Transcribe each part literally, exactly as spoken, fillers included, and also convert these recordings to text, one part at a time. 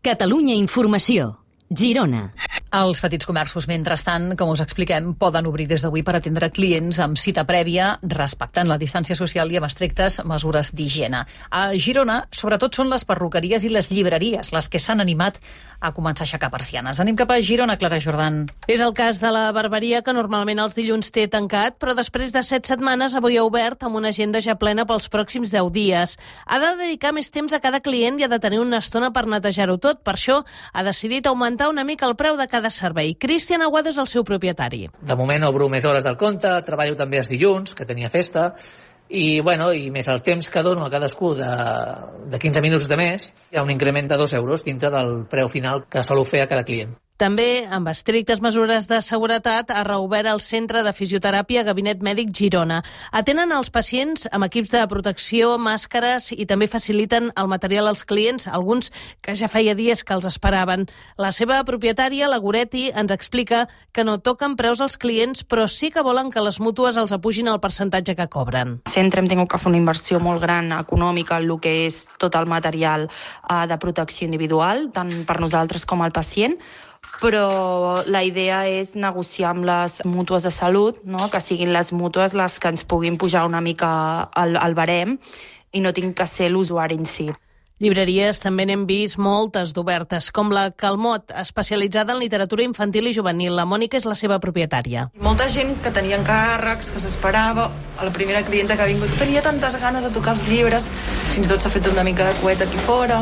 Catalunya Informació. Girona. Els petits comerços, mentrestant, com us expliquem, poden obrir des d'avui per atendre clients amb cita prèvia, respectant la distància social i amb estrictes mesures d'higiene. A Girona, sobretot són les perruqueries i les llibreries les que s'han animat a començar a aixecar persianes. Anem cap a Girona, Clara Jordan. És el cas de la barberia, que normalment els dilluns té tancat, però després de set setmanes avui ha obert amb una agenda ja plena pels pròxims deu dies. Ha de dedicar més temps a cada client i ha de tenir una estona per netejar-ho tot. Per això ha decidit augmentar una mica el preu de cada servei. Cristian Aguado és el seu propietari. De moment obro més hores del compte, treballo també els dilluns, que tenia festa, i, bueno, i més el temps que dono a cadascú de, de quinze minuts de més, hi ha un increment de dos euros dintre del preu final que solo fer a cada client. També, amb estrictes mesures de seguretat, ha reobert el Centre de Fisioteràpia Gabinet Mèdic Girona. Atenen els pacients amb equips de protecció, màscares i també faciliten el material als clients, alguns que ja feia dies que els esperaven. La seva propietària, la Goretti, ens explica que no toquen preus als clients, però sí que volen que les mútues els apugin el percentatge que cobren. Sempre hem tingut que fer una inversió molt gran econòmica en el que és tot el material eh, de protecció individual, tant per nosaltres com al pacient, però la idea és negociar amb les mútues de salut, no? Que siguin les mútues les que ens puguin pujar una mica al, al barem i no tinc que ser l'usuari en si. Llibreries també n'hem vist moltes d'obertes, com la Calmot, especialitzada en literatura infantil i juvenil. La Mònica és la seva propietària. Molta gent que tenia encàrrecs, que s'esperava, a la primera clienta que ha vingut tenia tantes ganes de tocar els llibres, fins i tot s'ha fet una mica de coet aquí fora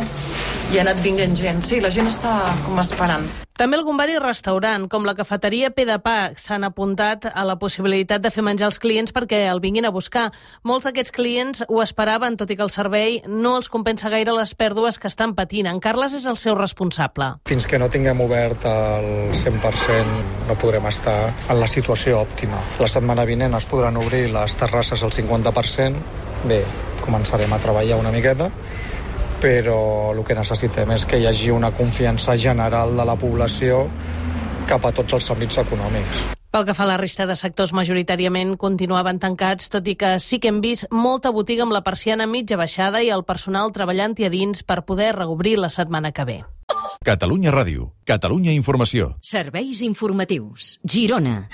i ha anat vinguent gent. Sí, la gent està com esperant. També algun bar i restaurant, com la cafeteria Pe de Pa, s'han apuntat a la possibilitat de fer menjar als clients perquè el vinguin a buscar. Molts d'aquests clients ho esperaven, tot i que el servei no els compensa gaire les pèrdues que estan patint. En Carles és el seu responsable. Fins que no tinguem obert el cent per cent no podrem estar en la situació òptima. La setmana vinent es podran obrir les terrasses al cinquanta per cent. Bé, començarem a treballar una miqueta, però el que necessitem és que hi hagi una confiança general de la població cap a tots els àmbits econòmics. Pel que fa a la resta de sectors, majoritàriament continuaven tancats, tot i que sí que hem vist molta botiga amb la persiana mitja baixada i el personal treballant-hi a dins per poder reobrir la setmana que ve. Catalunya Ràdio, Catalunya Informació. Serveis informatius. Girona.